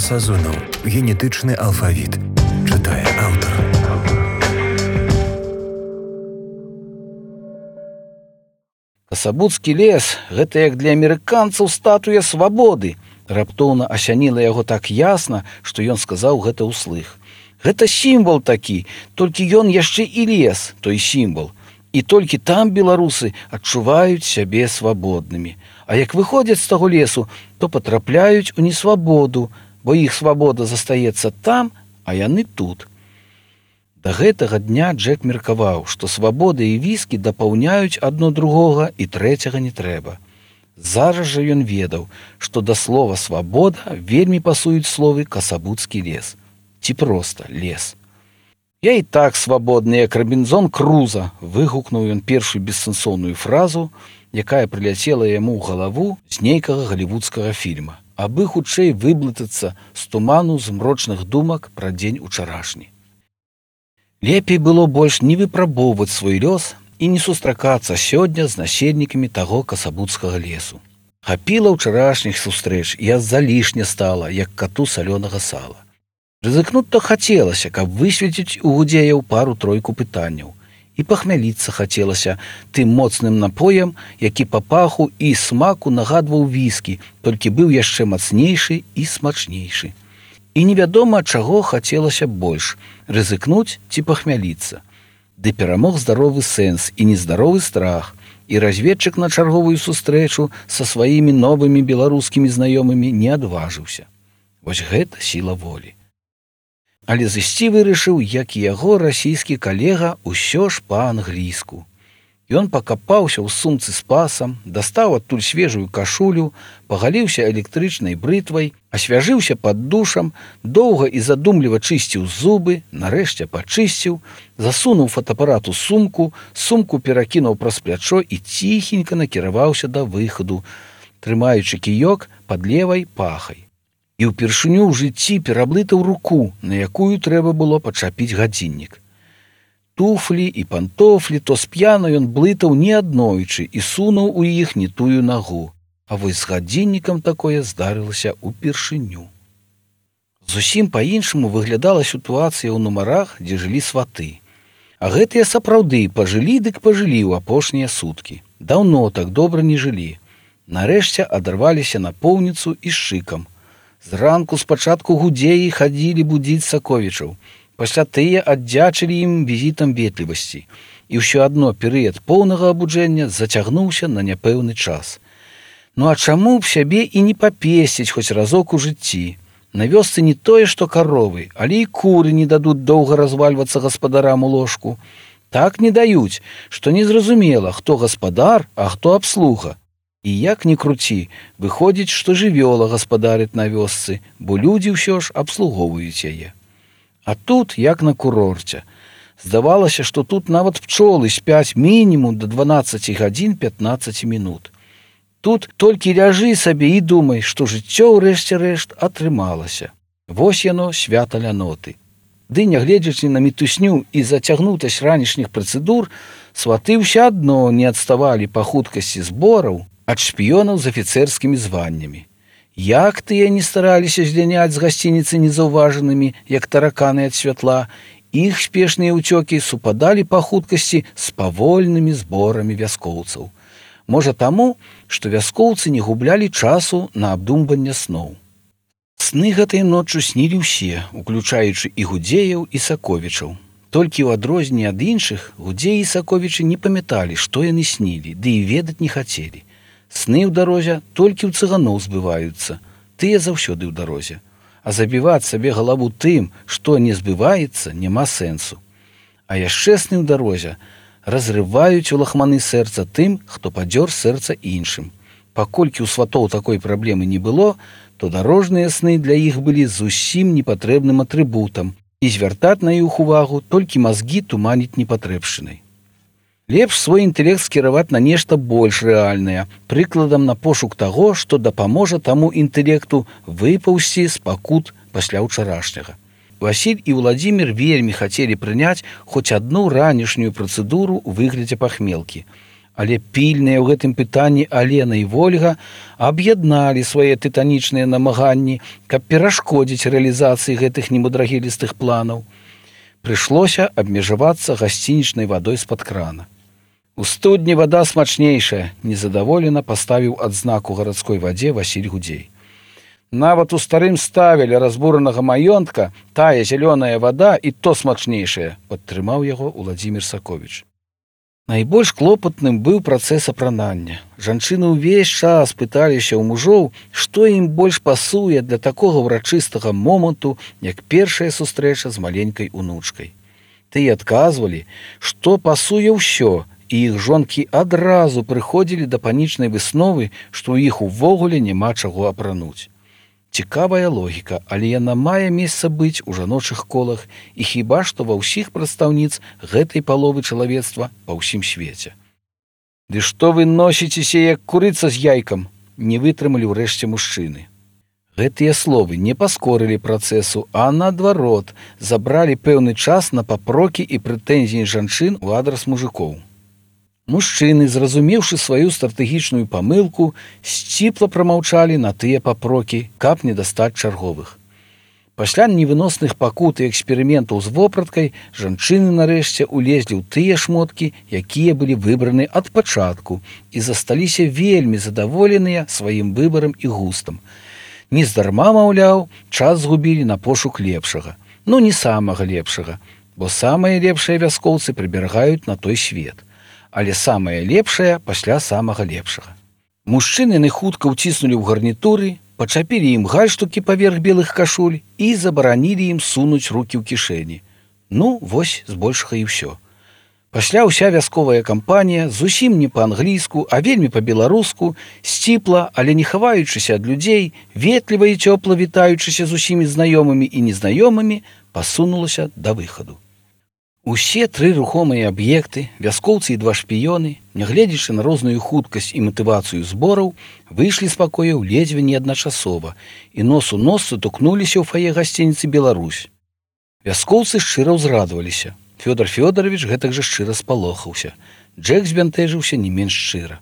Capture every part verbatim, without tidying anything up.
Сазонаў. Генетычны алфавіт. Чытае аўтар. Касабуцкі лес – гэта як для амерыканцаў статуя свабоды. Раптоўна асяніла яго так ясна, што ён сказаў гэта ўслых. Гэта сімвал такі, толькі ён яшчэ і лес, той сімвал. І толькі там беларусы адчуваюць сябе свабоднымі. А як выходзяць з таго лесу, то патрапляюць у несвабоду, бо іх свабода застаецца там, а яны тут. Да гэтага дня Джек меркаваў, што свабода і віскі дапаўняюць адно другога і трэцяга не трэба. Зараз жа ён ведаў, што да слова «свабода» вельмі пасуюць словы «касабуцкі лес». Ці проста лес. «Я і так свабодны, як Робінзон Круза», выгукнуў ён першую бессэнсоўную фразу, якая прыляцела яму ў галаву з нейкага галівудскага фільма, абы хутчэй выблытацца з туману змрочных думак пра дзень учарашні. Лепей было больш не выпрабоўваць свой лёс і не сустракацца сёння з насельнікамі таго касабуцкага лесу. Хапіла ўчарашніх сустрэч, і аз залішне стала, як кату салёнага сала. Рызыкнуць-то хацелася, каб высветліць у гудзеяў пару-тройку пытанняў. І пахмяліцца хацелася тым моцным напоем, які па паху і смаку нагадваў віскі, толькі быў яшчэ мацнейшы і смачнейшы. І невядома, чаго хацелася больш – рызыкнуць ці пахмяліцца. Ды перамог здаровы сэнс і нездаровы страх, і разведчык на чарговую сустрэчу са сваімі новымі беларускімі знаёмымі не адважыўся. Вось гэта сіла волі. Але зысці вырашыў, як і яго расійскі калега, усё ж па-англійску. Ён пакапаўся ў сумцы з пасам, дастаў адтуль свежую кашулю, пагаліўся электрычнай брытвай, асвяжыўся пад душам, доўга і задумліва чысціў зубы, нарэшце пачысціў, засунуў фотаапарат у сумку, сумку перакінуў праз плячо і ціхенька накіраваўся да выхаду, трымаючы кіёк пад левай пахай. І ўпершыню ў жыцці пераблытаў руку, на якую трэба было пачапіць гадзіннік. Туфлі і пантофлі то сп'яна ён блытаў неаднойчы і сунуў у іх не тую нагу, а вось з гадзіннікам такое здарылася ўпершыню. Зусім па-іншаму выглядала сітуацыя ў нумарах, дзе жылі сваты. А гэтыя сапраўды пажылі дык пажылі ў апошнія суткі. Даўно так добра не жылі. Нарэшце адарваліся напоўніцу і з шыкам. Зранку спачатку гудзеі хадзілі будзіць саковічаў. Пасля тыя аддзячылі ім візітам ветлівасці. І ўсё адно перыяд поўнага абуджэння зацягнуўся на няпэўны час. Ну а чаму б сябе і не папесціць хоць разок у жыцці? На вёсцы не тое, што каровы, але і куры не дадуць доўга развальвацца гаспадарам у ложку. Так не даюць, што незразумела, хто гаспадар, а хто абслуга. І як ні круці, выходзіць, што жывёла гаспадарыць на вёсцы, бо людзі ўсё ж абслугоўваюць яе. А тут, як на курорце. Здавалася, што тут нават пчолы спяць мінімум да дванаццаці гадзін пятнаццаць мінут. Тут толькі ляжы сабе і думай, што жыццё ў рэшце рэшт атрымалася. Вось яно свята ляноты. Ды, нягледзячы на мітусню і зацягнутасць ранішніх працэдур, сваты ўсё адно не адставалі па хуткасці збораў ад шпіёнаў з афіцэрскімі званнямі. Як тыя не стараліся зляняць з гасцініцы незаўважанымі, як тараканы ад святла, іх спешныя ўцёкі супадалі па хуткасці з павольнымі зборамі вяскоўцаў. Можа таму, што вяскоўцы не гублялі часу на абдумванне сноў. Сны гэтай ноччу снілі ўсе, уключаючы і гудзеяў, і саковічаў. Толькі ў адрозненне ад іншых, гудзеі і саковічы не памяталі, што яны снілі, ды і ведаць не хацелі. Сны ў дарозе толькі ў цыганоў збываюцца, тыя заўсёды ў дарозе. А забіваць сабе галаву тым, што не збываецца, няма сэнсу. А яшчэ сны ў дарозе разрываюць у лахманы сэрца тым, хто падзёр сэрца іншым. Паколькі ў сватоў такой праблемы не было, то дарожныя сны для іх былі зусім непатрэбным атрыбутам, і звяртаць на іх увагу толькі мазгі туманіць непатрэбшчынай. Лепш свой інтэлект скіраваць на нешта больш рэальнае, прыкладам на пошук таго, што дапаможа таму інтэлекту выпаўсці з пакут пасля ўчарашняга. Васіль і Владзімір вельмі хацелі прыняць хоць адну ранішнюю працэдуру ў выглядзе пахмелкі, Але пільныя ў гэтым пытанні Алена і Вольга аб'ядналі свае тытанічныя намаганні, каб перашкодзіць рэалізацыі гэтых немудрагелістых планаў. Прыйшлося абмежавацца гасцінічнай вадой з-пад крана. У студні вада смачнейшая, незадаволена паставіў адзнаку гарадской вадзе Васіль Гудзей. Нават у старым ставе ля разбуранага маёнтка тая зялёная вада і то смачнейшая, падтрымаў яго Уладзімір Саковіч. Найбольш клопатным быў працэс апранання. Жанчыны ўвесь час пыталіся ў мужоў, што ім больш пасуе для такога ўрачыстага моманту, як першая сустрэча з маленькай унучкай. Тыя адказвалі, што пасуе ўсё, і іх жонкі адразу прыходзілі да панічнай высновы, што ў іх увогуле няма чаго апрануць. Цікавая логіка, але яна мае месца быць у жаночых колах і хіба што ва ўсіх прадстаўніц гэтай паловы чалавецтва па ўсім свеце. «Ды што вы носіцеся, як курыца з яйкам?» не вытрымалі ўрэшце мужчыны. Гэтыя словы не паскорылі працэсу, а наадварот, забралі пэўны час на папрокі і прэтэнзіі жанчын у адрас мужикоў. Мужчыны, зразумеўшы сваю стратэгічную памылку, сціпла прамаўчалі на тыя папрокі, каб не дастаць чарговых. Пасля невыносных пакут і эксперыментаў з вопраткай жанчыны нарэшце улезлі ў тыя шмоткі, якія былі выбраны ад пачатку і засталіся вельмі задаволеныя сваім выбарам і густам. Нездарма, маўляў, час згубілі на пошук лепшага. Ну, не самага лепшага, бо самыя лепшыя вяскоўцы прыберагаюць на той свет. Але самае лепшае пасля самага лепшага. Мужчыны яны хутка ўціснулі ў гарнітуры, пачапілі ім гальштукі паверх белых кашуль і забаранілі ім сунуць рукі ў кішэні. Ну, вось збольшага і ўсё. Пасля ўся вясковая кампанія зусім не па-англійску, а вельмі па-беларуску, сціпла, але не хаваючыся ад людзей, ветліва і цёпла вітаючыся з усімі знаёмымі і незнаёмымі, пасунулася да выхаду. Усе тры рухомыя аб'екты, вяскоўцы і два шпіёны, нягледзячы на розную хуткасць і матывацыю збораў, выйшлі з пакояў ледзьве не адначасова і нос у нос сутыкнуліся ў фае гасцініцы «Беларусь». Вяскоўцы шчыра ўзрадаваліся. Фёдор Фёдорович гэтак жа шчыра спалохаўся. Джек збянтэжыўся не менш шчыра.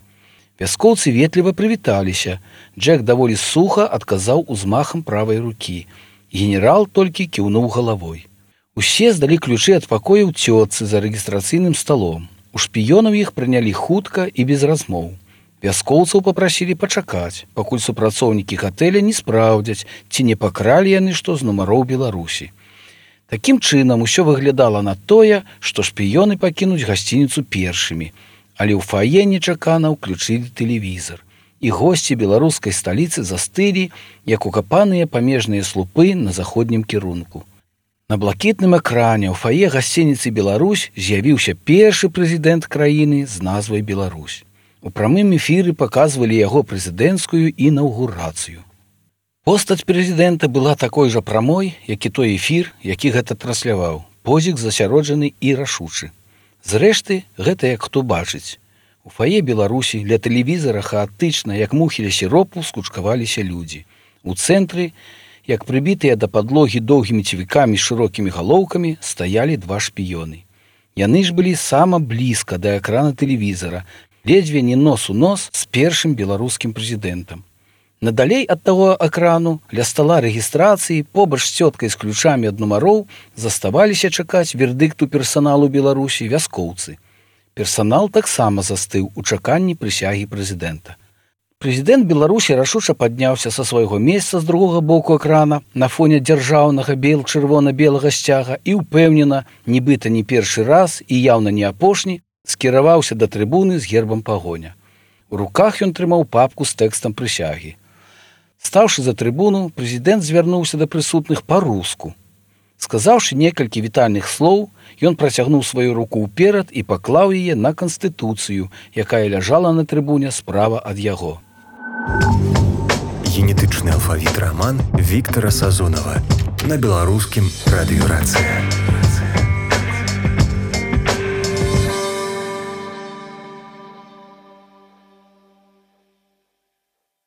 Вяскоўцы ветліва прывіталіся. Джек даволі суха адказаў узмахам правай рукі. Генерал толькі кіўнуў галавой. Усе здалі ключы ад пакояў цётцы за рэгістрацыйным сталом. У шпіёнаў іх прынялі хутка і без размоў. Вяскоўцаў папрасілі пачакаць, пакуль супрацоўнікі гатэля не спраўдзяць, ці не пакралі яны што з нумароў Беларусі. Такім чынам усё выглядала на тое, што шпіёны пакінуць гасцініцу першымі, але ў фае нечакана ўключылі тэлевізар. І госці беларускай сталіцы застылі, як укапаныя памежныя слупы на заходнім кірунку. На блакітным экране ў фае гасцініцы «Беларусь» з'явіўся першы прэзідэнт краіны з назвай «Беларусь». У прамым эфіры паказвалі яго прэзідэнцкую інаўгурацыю. Постаць прэзідэнта была такой жа прамой, як і той эфір, які гэта трансляваў. Позік засяроджаны і рашучы. Зрэшты, гэта як хто бачыць. У фае «Беларусі» ля тэлевізара хаатычна, як мухі ля сіропу, скучкаваліся людзі. У цэнтры, як прыбітыя да падлогі доўгімі цівікамі з шырокімі галоўкамі, стаялі два шпіёны. Яны ж былі сама блізка да экрана тэлевізара, ледзьве не нос у нос з першым беларускім прэзідэнтам. Надалей ад таго экрану, ля стала рэгістрацыі, побач з цёткай з ключамі ад нумароў, заставаліся чакаць вердыкту персаналу Беларусі вяскоўцы. Персанал таксама застыў у чаканні прысягі прэзідэнта. Прэзідэнт Беларусі рашуча падняўся са свайго месца з другога боку экрана на фоне дзяржаўнага бел-чырвона-белага сцяга і ўпэўнена, нібыта не першы раз і яўна не апошні, скіраваўся да трыбуны з гербам пагоня. У руках ён трымаў папку з тэкстам прысягі. Стаўшы за трыбуну, прэзідэнт звярнуўся да прысутных па-руску. Сказаўшы некалькі вітальных слоў, ён працягнуў сваю руку ўперад і паклаў яе на канстытуцыю, якая ляжала на трыбуне справа ад яго. Генетычны алфавіт раман Віктара Сазонава на беларускім радыёрацыя.